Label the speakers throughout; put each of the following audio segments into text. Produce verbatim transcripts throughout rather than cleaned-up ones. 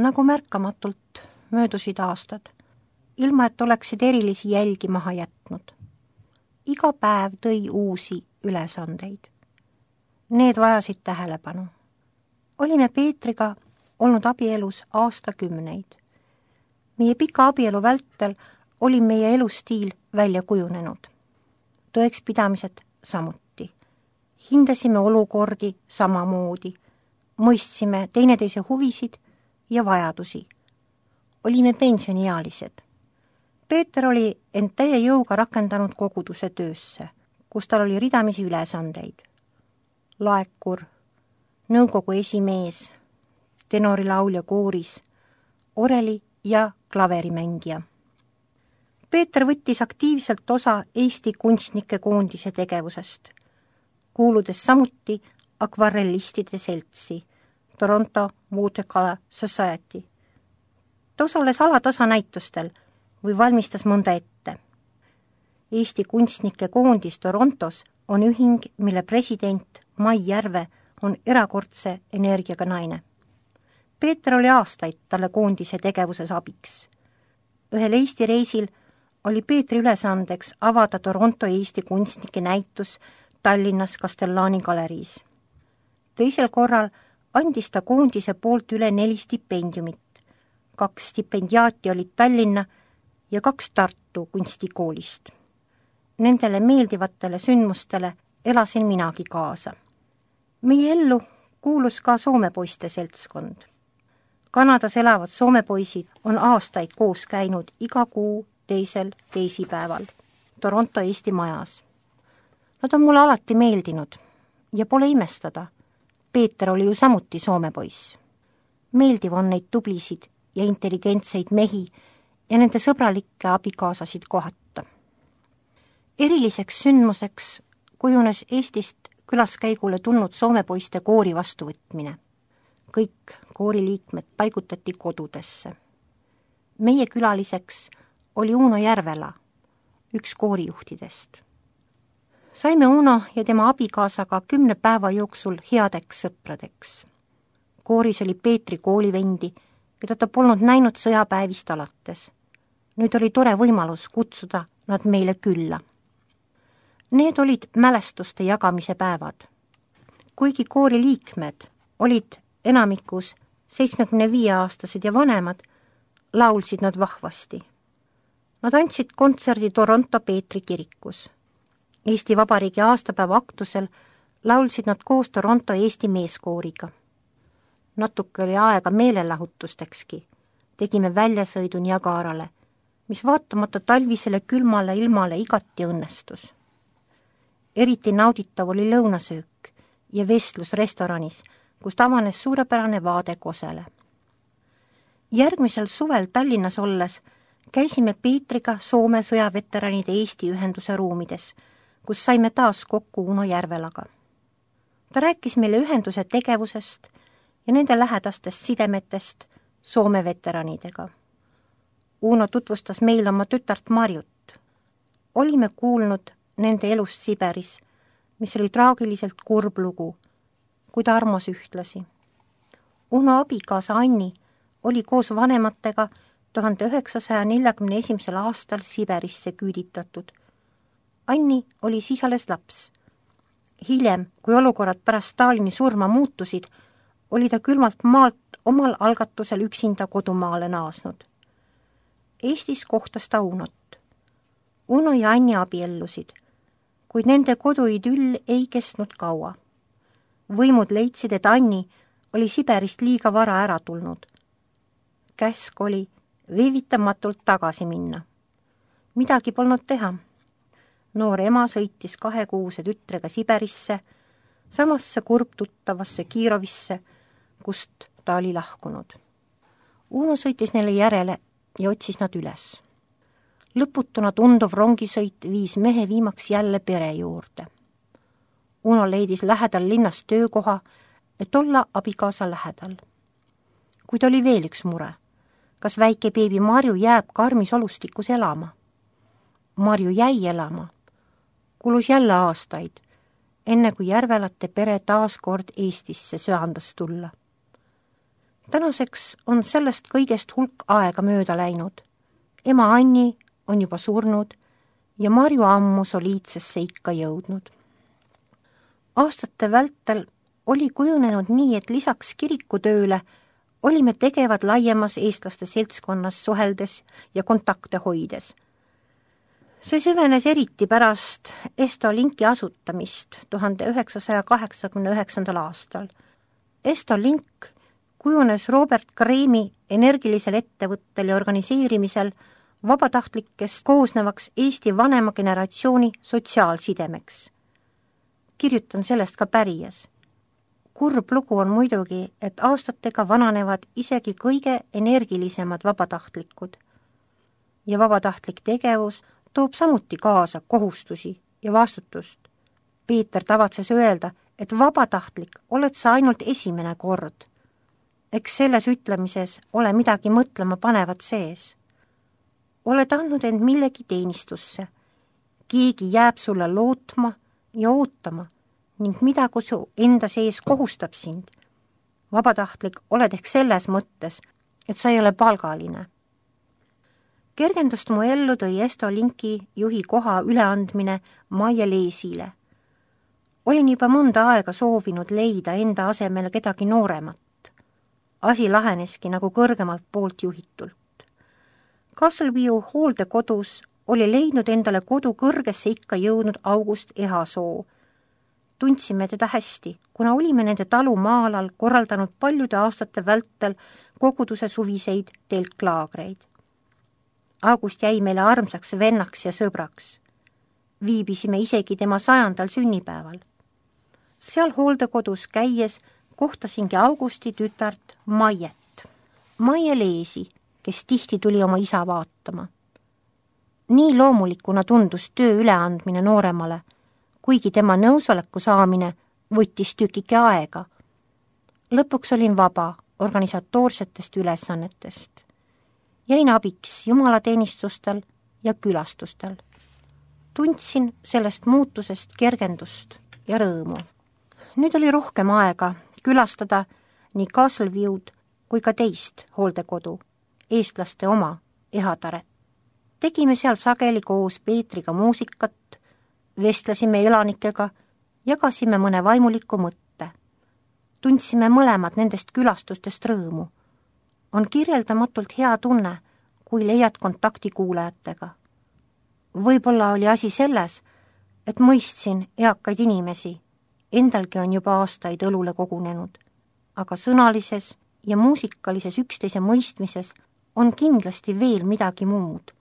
Speaker 1: nagu märkamatult möödusid aastad, ilma et oleksid erilisi jälgi maha jätnud. Iga päev tõi uusi ülesandeid. Need vajasid tähelepanu. Olime Peetriga olnud abielus aastakümneid. Meie pika abielu vältel oli meie elustiil välja kujunenud. Tõekspidamised samuti. Hindasime olukordi samamoodi. Mõistsime teineteise huvisid ja vajadusi. Olime pensioniealised. Peeter oli end täie jõuga rakendanud koguduse töösse, kus tal oli ridamisi ülesandeid. Laekur, nõukogu esimees, tenorilaulja kooris, oreli ja klaverimängija. Peeter võttis aktiivselt osa Eesti kunstnike koondise tegevusest, kuuludes samuti akvarellistide seltsi Toronto Watercolor Society. Ta osales alatasa näitustel või valmistas mõnda ette. Eesti kunstnike koondis Torontos on ühing, mille president Mai Järve on erakordse energiaga naine. Peeter oli aastaid talle koondise tegevuses abiks. Ühel Eesti reisil oli Peetri ülesandeks avada Toronto Eesti kunstnike näitus Tallinnas Castellani galeriis. Teisel korral andis ta koondise poolt üle neli stipendiumit. Kaks stipendiaati olid Tallinna ja kaks Tartu kunstikoolist. Nendele meeldivatele sündmustele elasin minagi kaasa. Meie ellu kuulus ka Soome poiste seltskond. Kanadas elavad Soome poisid on aastaid koos käinud iga kuu teisel teisipäeval Toronto Eesti majas. Nad on mulle alati meeldinud ja pole imestada. Peeter oli ju samuti Soome poiss. Meeldiv on neid tublisid ja intelligentseid mehi ja nende sõbralikke abikaasasid kohata. Eriliseks sündmuseks kujunes Eestist külaskäigule tulnud Soome poiste koori vastuvõtmine. Kõik kooriliikmed paigutati kodudesse. Meie külaliseks oli Uno Järvela, üks koorijuhtidest. Saime Uno ja tema abikaasaga kümne päeva jooksul headeks sõpradeks. Kooris oli Peetri koolivendi, keda ta polnud näinud sõjapäevist alates. Nüüd oli tore võimalus kutsuda nad meile külla. Need olid mälestuste jagamise päevad. Kuigi koori liikmed olid enamikus seitsmekümne viie aastased ja vanemad, laulsid nad vahvasti. Nad andsid kontserdi Toronto Peetri kirikus. Eesti Vabariigi aastapäeva aktusel laulsid nad koos Toronto Eesti meeskooriga. Natuke oli aega meelelahutustekski. Tegime väljasõidu Niagarale, mis vaatamata talvisele külmale ilmale igati õnnestus. Eriti nauditav oli lõunasöök ja vestlus restoranis, kus avanes suurepärane vaade Kosele. Järgmisel suvel Tallinnas olles käisime Peetriga Soome sõjaveteranide Eesti ühenduse ruumides, kus saime taas kokku Uno Järvelaga. Ta rääkis meile ühenduse tegevusest ja nende lähedastest sidemetest Soome veteranidega. Uno tutvustas meile oma tütart Marjut. Olime kuulnud nende elust Siberis, mis oli traagiliselt kurb lugu, kuid armas ühtlasi. Uno abikaasa Anni oli koos vanematega tuhande üheksasaja neljakümne esimesel aastal Siberisse küüditatud. Anni oli siis alles laps. Hiljem, kui olukorrad pärast Stalini surma muutusid, oli ta külmalt maalt omal algatusel üksinda kodumaale naasnud. Eestis kohtas ta Unot. Uno ja Anni abiellusid, kuid nende koduidüll ei kestnud kaua. Võimud leidsid, et Anni oli Siberist liiga vara ära tulnud. Käsk oli viivitamatult tagasi minna. Midagi polnud teha. Noor ema sõitis kahekuuse tütrega Siberisse, samasse kurbtuttavasse Kiirovisse, kust ta oli lahkunud. Uno sõitis neile järele ja otsis nad üles. Lõputuna tunduv rongisõit viis mehe viimaks jälle pere juurde. Uno leidis lähedal linnas töökoha, et olla abikaasa lähedal. Kuid oli veel üks mure. Kas väike beebi Marju jääb karmis olustikus elama? Marju jäi elama. Kulus jälle aastaid, enne kui Järvelate pere taas kord Eestisse söandas tulla. Tänaseks on sellest kõigest hulk aega mööda läinud. Ema Anni on juba surnud ja Marju ammu soliidsesse ikka jõudnud. Aastate vältel oli kujunenud nii, et lisaks kirikutööle olime tegevad laiemas eestlaste seltskonnas suheldes ja kontakte hoides. See süvenes eriti pärast Estolinki asutamist tuhande üheksasaja kaheksakümne üheksandal aastal. Estolink kujunes Robert Kreemi energilisel ettevõttel ja organiseerimisel vabatahtlikest koosnevaks Eesti vanema generatsiooni sotsiaalsidemeks. Kirjutan sellest ka pärijas. Kurb lugu on muidugi, et aastatega vananevad isegi kõige energilisemad vabatahtlikud. Ja vabatahtlik tegevus toob samuti kaasa kohustusi ja vastutust. Peeter tavatses öelda, et vabatahtlik oled sa ainult esimene kord. Eks selles ütlemises ole midagi mõtlema panevat sees. Oled andnud end millegi teenistusse. Keegi jääb sulle lootma ja ootama ning midagi su enda sees kohustab sind. Vabatahtlik oled ehk selles mõttes, et sa ei ole palgaline. Kergendust mu ellu tõi Estolinki juhi koha üleandmine Maie Leesile. Olin juba mõnda aega soovinud leida enda asemel kedagi nooremat. Asi laheneski nagu kõrgemalt poolt juhitult. Castleview hooldekodus oli leidnud endale kodu kõrgesse ikka jõudnud August Ehasoo. Tundsime teda hästi, kuna olime nende talu maalal korraldanud paljude aastate vältel koguduse suviseid telklaagreid. August jäi meile armsaks vennaks ja sõbraks. Viibisime isegi tema sajandal sünnipäeval. Seal hooldekodus käies kohtasingi Augusti tütart Maiet. Maie Leesi, kes tihti tuli oma isa vaatama. Nii loomulikuna tundus töö üleandmine nooremale, kuigi tema nõusoleku saamine võttis tükike aega. Lõpuks olin vaba organisatoorsetest ülesannetest. Jäin abiks jumalateenistustel ja külastustel. Tundsin sellest muutusest kergendust ja rõõmu. Nüüd oli rohkem aega külastada nii Castleview'd kui ka teist hooldekodu, eestlaste oma Ehataret. Tegime seal sageli koos Peetriga muusikat, vestlesime elanikega, jagasime mõne vaimuliku mõtte. Tundsime mõlemad nendest külastustest rõõmu. On kirjeldamatult hea tunne, kui leiad kontakti kuulajatega. Võib-olla oli asi selles, et mõistsin eakaid inimesi, endalgi on juba aastaid õlule kogunenud, aga sõnalises ja muusikalises üksteise mõistmises on kindlasti veel midagi muud.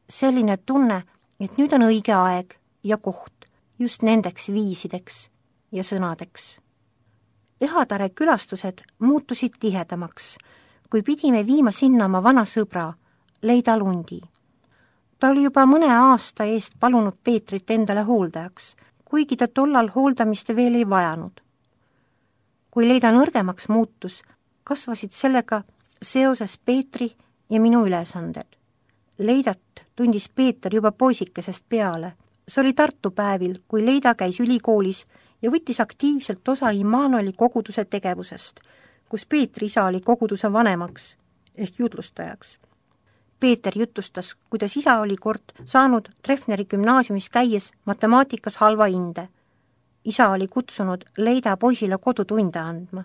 Speaker 1: Selline tunne, et nüüd on õige aeg ja koht just nendeks viisideks ja sõnadeks. Ehatare külastused muutusid tihedamaks, kui pidime viima sinna oma vana sõbra, Leida Lundi. Ta oli juba mõne aasta eest palunud Peetrit endale hooldajaks, kuigi ta tollal hooldamist veel ei vajanud. Kui Leida nõrgemaks muutus, kasvasid sellega seoses Peetri ja minu ülesanded. Leidat tundis Peeter juba poisikesest peale. See oli Tartu päevil, kui Leida käis ülikoolis ja võttis aktiivselt osa Immanueli koguduse tegevusest, kus Peetri isa oli koguduse vanemaks ehk jutlustajaks. Peeter jutustas, kuidas isa oli kord saanud Treffneri gümnaasiumis käies matemaatikas halva hinde. Isa oli kutsunud Leida poisile kodutunde andma.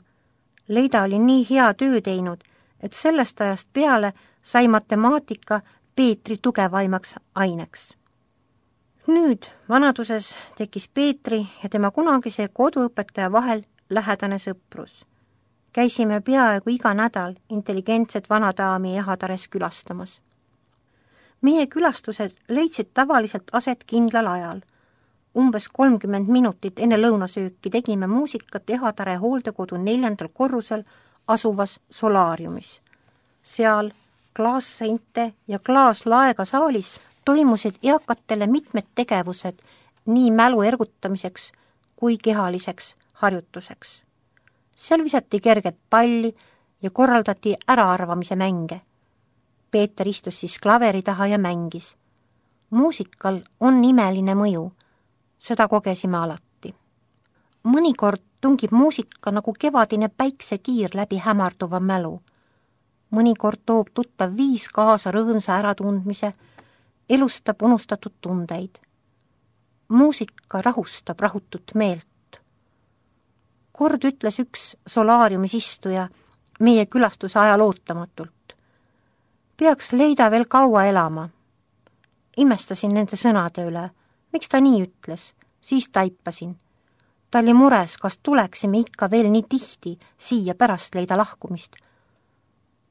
Speaker 1: Leida oli nii hea töö teinud, et sellest ajast peale sai matemaatika Peetri tugevaimaks aineks. Nüüd vanaduses tekkis Peetri ja tema kunagise koduõpetaja vahel lähedane sõprus. Käisime peaaegu iga nädal intelligentset vanadaami Ehatares külastamas. Meie külastused leidsid tavaliselt aset kindlal ajal. Umbes kolmkümmend minutit enne lõunasööki tegime muusikat Ehatare hooldekodu neljandal korrusel asuvas solaariumis. Seal klaasseinte ja klaaslaega saalis toimusid eakatele mitmed tegevused nii mälu ergutamiseks kui kehaliseks harjutuseks. Seal visati kerget palli ja korraldati äraarvamise mänge. Peeter istus siis klaveri taha ja mängis. Muusikal on imeline mõju, seda kogesime alati. Mõnikord tungib muusika nagu kevadine päiksekiir läbi hämarduva mälu. Mõnikord toob tuttav viis kaasa rõõmsa äratundmise, elustab unustatud tundeid. Muusika rahustab rahutut meelt. Kord ütles üks solaariumis istuja meie külastuse ajal ootamatult. Peaks Leida veel kaua elama. Imestasin nende sõnade üle. Miks ta nii ütles? Siis taipasin. Ta oli mures, kas tuleksime ikka veel nii tihti siia pärast Leida lahkumist.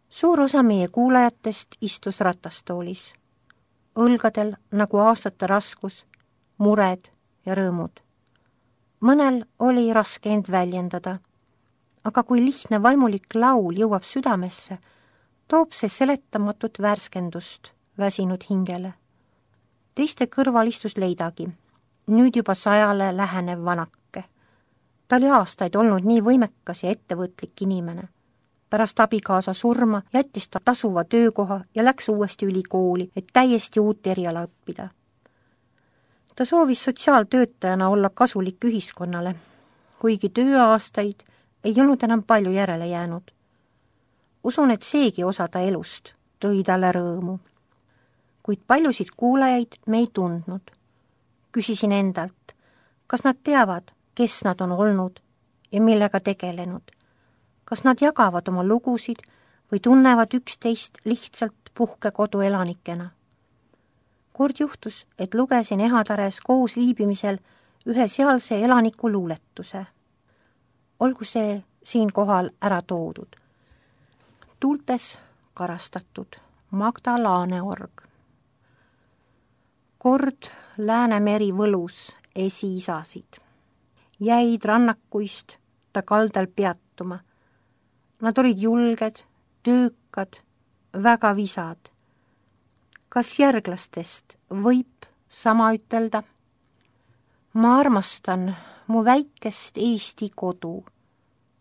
Speaker 1: Suur osa meie kuulajatest istus ratastoolis. Õlgadel nagu aastate raskus, mured ja rõõmud. Mõnel oli raske end väljendada, aga kui lihtne vaimulik laul jõuab südamesse, toob see seletamatut värskendust väsinud hingele. Teiste kõrval istus Leidagi, nüüd juba sajale lähenev vanake. Ta oli aastaid olnud nii võimekas ja ettevõtlik inimene. Pärast abikaasa surma jättis ta tasuva töökoha ja läks uuesti ülikooli, et täiesti uut eriala õppida. Ta soovis sotsiaaltöötajana olla kasulik ühiskonnale, kuigi tööaastaid ei olnud enam palju järele jäänud. Usun, et seegi osa ta elust tõi talle rõõmu. Kuid paljusid kuulajaid me ei tundnud. Küsisin endalt, kas nad teavad, kes nad on olnud ja millega tegelenud. Kas nad jagavad oma lugusid või tunnevad üksteist lihtsalt puhkekodu elanikena. Kord juhtus, et lugesin Ehatares koos viibimisel ühe sealse elaniku luuletuse. Olgu see siinkohal ära toodud. Tuultes karastatud Magda Laaneorg. Kord Läänemeri võlus esiisasid. Jäid rannakuist ta kaldal peatuma. Nad olid julged, töökad, väga visad. Kas järglastest võib sama ütelda? Ma armastan mu väikest Eesti kodu,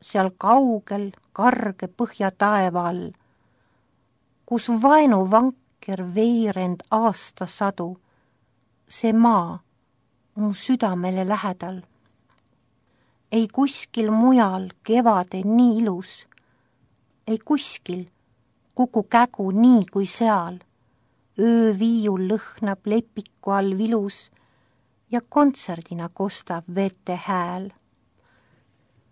Speaker 1: seal kaugel karge põhja taeva all, kus vaenu vanker veerend aastasadu, see maa mu südamele lähedal. Ei kuskil mujal kevade nii ilus, ei kuskil kuku kägu nii kui seal. Ööviiul lõhnab lepiku all vilus ja kontserdina kostab vete hääl.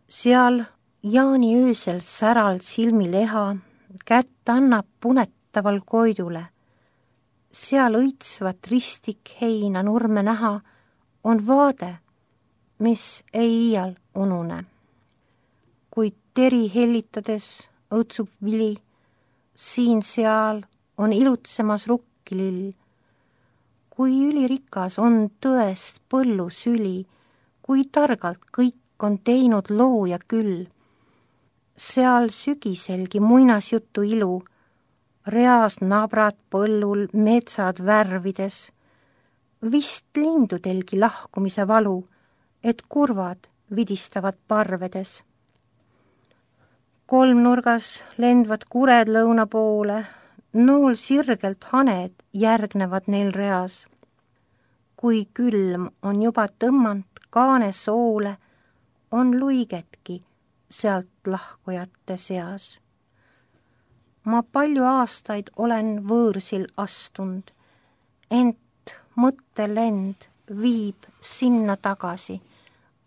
Speaker 1: Seal Jaani öösel säral silmi leha kätt annab punetaval koidule. Seal õitsvat ristik heina nurme näha on vaade, mis ei iial unune. Kuid teri hellitades õõtsub vili, siin-seal on ilutsemas rukkilill. Kui ülirikas on tõest põllu süli, kui targalt kõik on teinud looja küll. Seal sügiselgi muinasjutu ilu, reas nabrad põllul metsad värvides, vist lindudelgi lahkumise valu, et kurvad vidistavad parvedes. Kolmnurgas lendvad kured lõuna poole, nool sirgelt haned järgnevad neil reas. Kui külm on juba tõmmanud kaane soole, on luigetki sealt lahkujate seas. Ma palju aastaid olen võõrsil astunud, ent mõttelend viib sinna tagasi,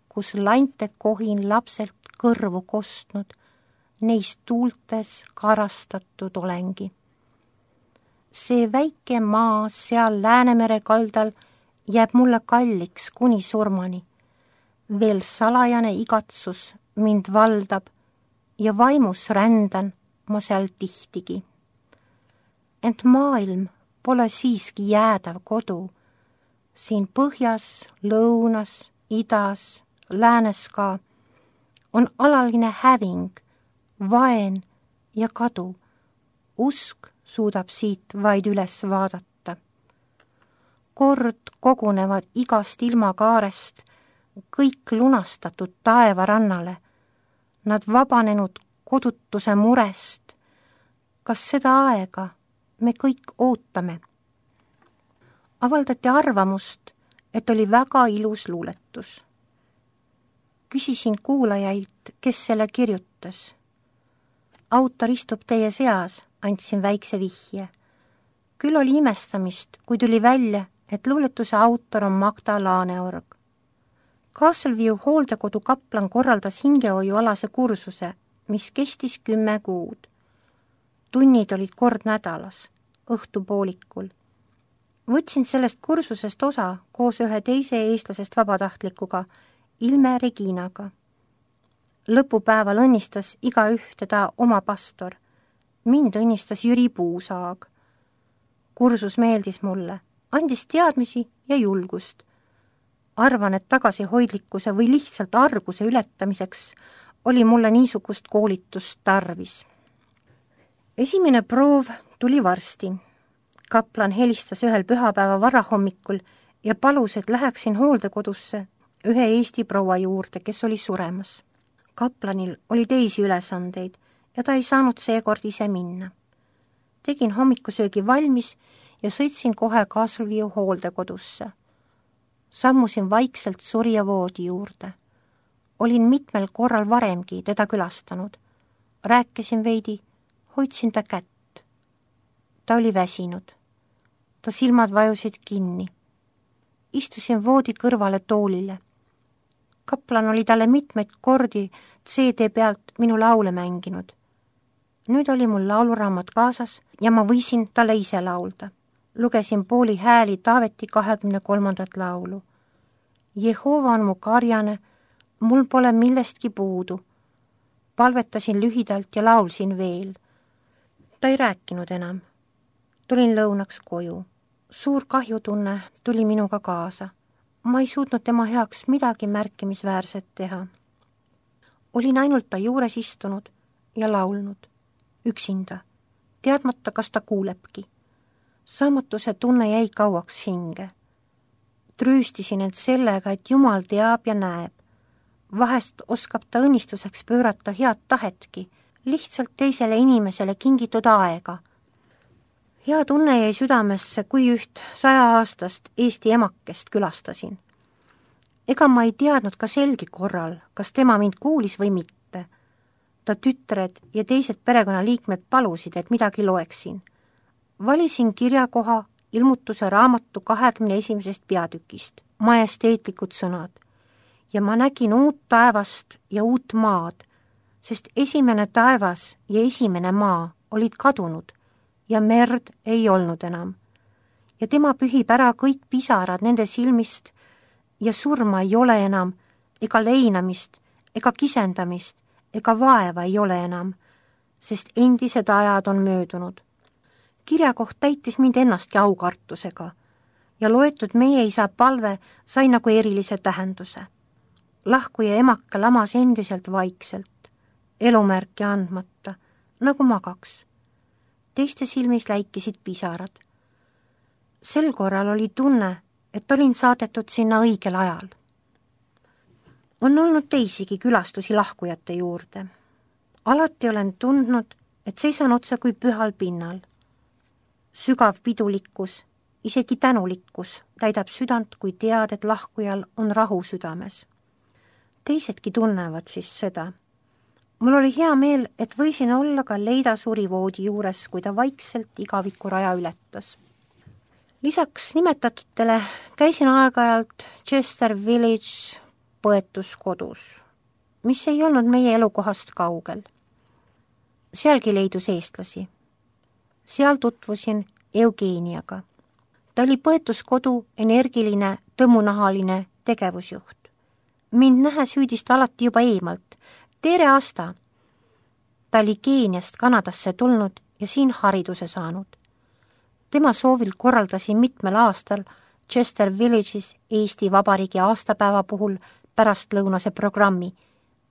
Speaker 1: kus lante kohin lapselt kõrvu kostnud, neist tuultes karastatud olengi. See väike maa seal Läänemere kaldal jääb mulle kalliks kuni surmani. Veel salajane igatsus mind valdab ja vaimus rändan ma seal tihtigi. Ent maailm pole siiski jäädav kodu. Siin põhjas, lõunas, idas, läänes ka on alaline häving, vaen ja kadu. Usk suudab siit vaid üles vaadata. Kord kogunevad igast ilmakaarest kõik lunastatud taevarannale, nad vabanenud kodutuse murest. Kas seda aega me kõik ootame? Avaldati arvamust, et oli väga ilus luuletus. Küsisin kuulajailt, kes selle kirjutas. Autor istub teie seas, andsin väikse vihje. Küll oli imestamist, kui tuli välja, et luuletuse autor on Magda Laaneorg. Castleview hooldekodu kaplan korraldas hingehoiualase kursuse, mis kestis kümme kuud. Tunnid olid kord nädalas, õhtupoolikul. Võtsin sellest kursusest osa koos ühe teise eestlasest vabatahtlikuga, Ilme Reginaga. Lõpupäeval õnnistas igaüht teda oma pastor. Mind õnnistas Jüri Puusaag. Kursus meeldis mulle, andis teadmisi ja julgust. Arvan, et tagasihoidlikkuse või lihtsalt arguse ületamiseks oli mulle niisugust koolitust tarvis. Esimene proov tuli varsti. Kaplan helistas ühel pühapäeva varahommikul ja palus, et läheksin hooldekodusse ühe Eesti proua juurde, kes oli suremas. Kaplanil oli teisi ülesandeid ja ta ei saanud seekord ise minna. Tegin hommikusöögi valmis ja sõitsin kohe Castleview hooldekodusse. Sammusin vaikselt surja voodi juurde. Olin mitmel korral varemgi teda külastanud. Rääkisin veidi, hoidsin ta kätt. Ta oli väsinud. Ta silmad vajusid kinni. Istusin voodi kõrvale toolile. Kaplan oli talle mitmeid kordi C D pealt minu laule mänginud. Nüüd oli mul lauluraamat kaasas ja ma võisin talle ise laulda. Lugesin pooli hääli Taaveti kahekümne kolmandat laulu. Jehova on mu karjane, mul pole millestki puudu. Palvetasin lühidalt ja laulsin veel. Ta ei rääkinud enam. Tulin lõunaks koju. Suur kahjutunne tuli minuga kaasa. Ma ei suutnud tema heaks midagi märkimisväärset teha. Olin ainult ta juures istunud ja laulnud. Üksinda, teadmata, kas ta kuulebki. Saamatuse tunne jäi kauaks hinge. Trüüstisin end sellega, et Jumal teab ja näeb. Vahest oskab ta õnnistuseks pöörata head tahetki, lihtsalt teisele inimesele kingitud aega. Hea tunne jäi südamesse, kui üht sajaaastast Eesti emakest külastasin. Ega ma ei teadnud ka selgi korral, kas tema mind kuulis või mitte. Ta tütred ja teised perekonnaliikmed palusid, et midagi loeksin. Valisin kirjakoha ilmutuse raamatu kahekümne esimesest peatükist, majesteetlikud sõnad, ja ma nägin uut taevast ja uut maad, sest esimene taevas ja esimene maa olid kadunud ja merd ei olnud enam. Ja tema pühib ära kõik pisarad nende silmist ja surma ei ole enam, ega leinamist, ega kisendamist, ega vaeva ei ole enam, sest endised ajad on möödunud. Kirjakoht täitis mind ennastki aukartusega ja loetud meie isa palve sai nagu erilise tähenduse. Lahkuja emaka lamas endiselt vaikselt, elumärki andmata, nagu magaks. Teiste silmis läikisid pisarad. Sel korral oli tunne, et olin saadetud sinna õigel ajal. On olnud teisigi külastusi lahkujate juurde. Alati olen tundnud, et seisan otsa kui pühal pinnal. Sügav pidulikkus, isegi tänulikkus täidab südant, kui tead, et lahkujal on rahu südames. Teisedki tunnevad siis seda. Mul oli hea meel, et võisin olla ka Leida surivoodi juures, kui ta vaikselt igaviku raja ületas. Lisaks nimetatutele käisin aeg-ajalt Chester Village põetuskodus, mis ei olnud meie elukohast kaugel. Sealgi leidus eestlasi. Seal tutvusin Eugeniaga. Ta oli põetuskodu energiline, tõmunahaline tegevusjuht. Mind nähes hüüdis ta alati juba eemalt. Tere, Asta! Ta oli Keeniast Kanadasse tulnud ja siin hariduse saanud. Tema soovil korraldasin mitmel aastal Chester Village'is Eesti Vabariigi aastapäeva puhul pärastlõunase programmi,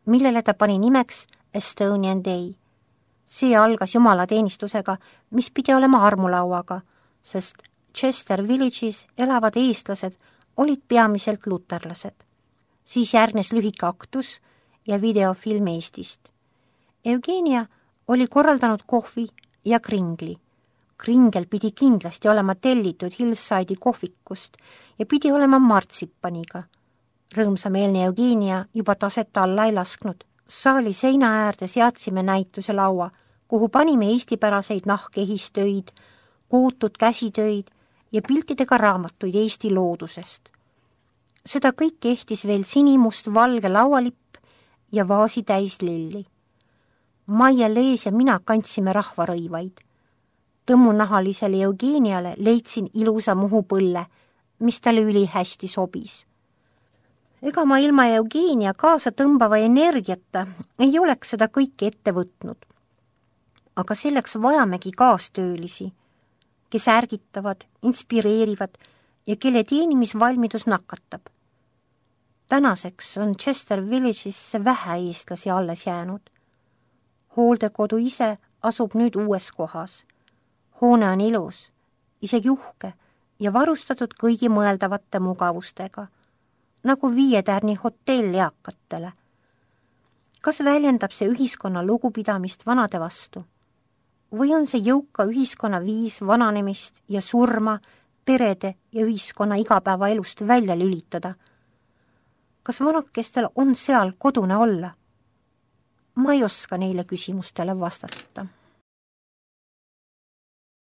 Speaker 1: millele ta pani nimeks Estonian Day. See algas jumalateenistusega, mis pidi olema armulauaga, sest Chester Village'is elavad eestlased olid peamiselt luterlased. Siis järgnes lühike aktus ja videofilm Eestist. Eugenia oli korraldanud kohvi ja kringli. Kringel pidi kindlasti olema tellitud Hillside'i kohvikust ja pidi olema martsipaniga. Rõõmsameelne Eugenia juba taset alla ei lasknud. Saali seina äärde seadsime näituse laua, kuhu panime eestipäraseid nahkehistöid, kootud käsitöid ja piltidega raamatuid Eesti loodusest. Seda kõik ehtis veel sinimust valge laualipp ja vaasi täis lilli. Maia Lees ja mina kandsime rahvarõivaid. Tõmmunahalisele Eugeniale leidsin ilusa muhupõlle, mis talle ülihästi sobis. Ega ma ilma Eugenia kaasa tõmbava energiata ei oleks seda kõike ette võtnud. Aga selleks vajamegi kaastöölisi, kes ärgitavad, inspireerivad ja kelle teenimisvalmidus nakatab. Tänaseks on Chester Village'isse vähe eestlasi alles jäänud. Hooldekodu ise asub nüüd uues kohas. Hoone on ilus, isegi uhke ja varustatud kõigi mõeldavate mugavustega, nagu viietärni hotell eakatele. Kas väljendab see ühiskonna lugupidamist vanade vastu? Või on see jõuka ühiskonna viis vananemist ja surma perede ja ühiskonna igapäevaelust välja lülitada? Kas vanakestel on seal kodune olla? Ma ei oska neile küsimustele vastata.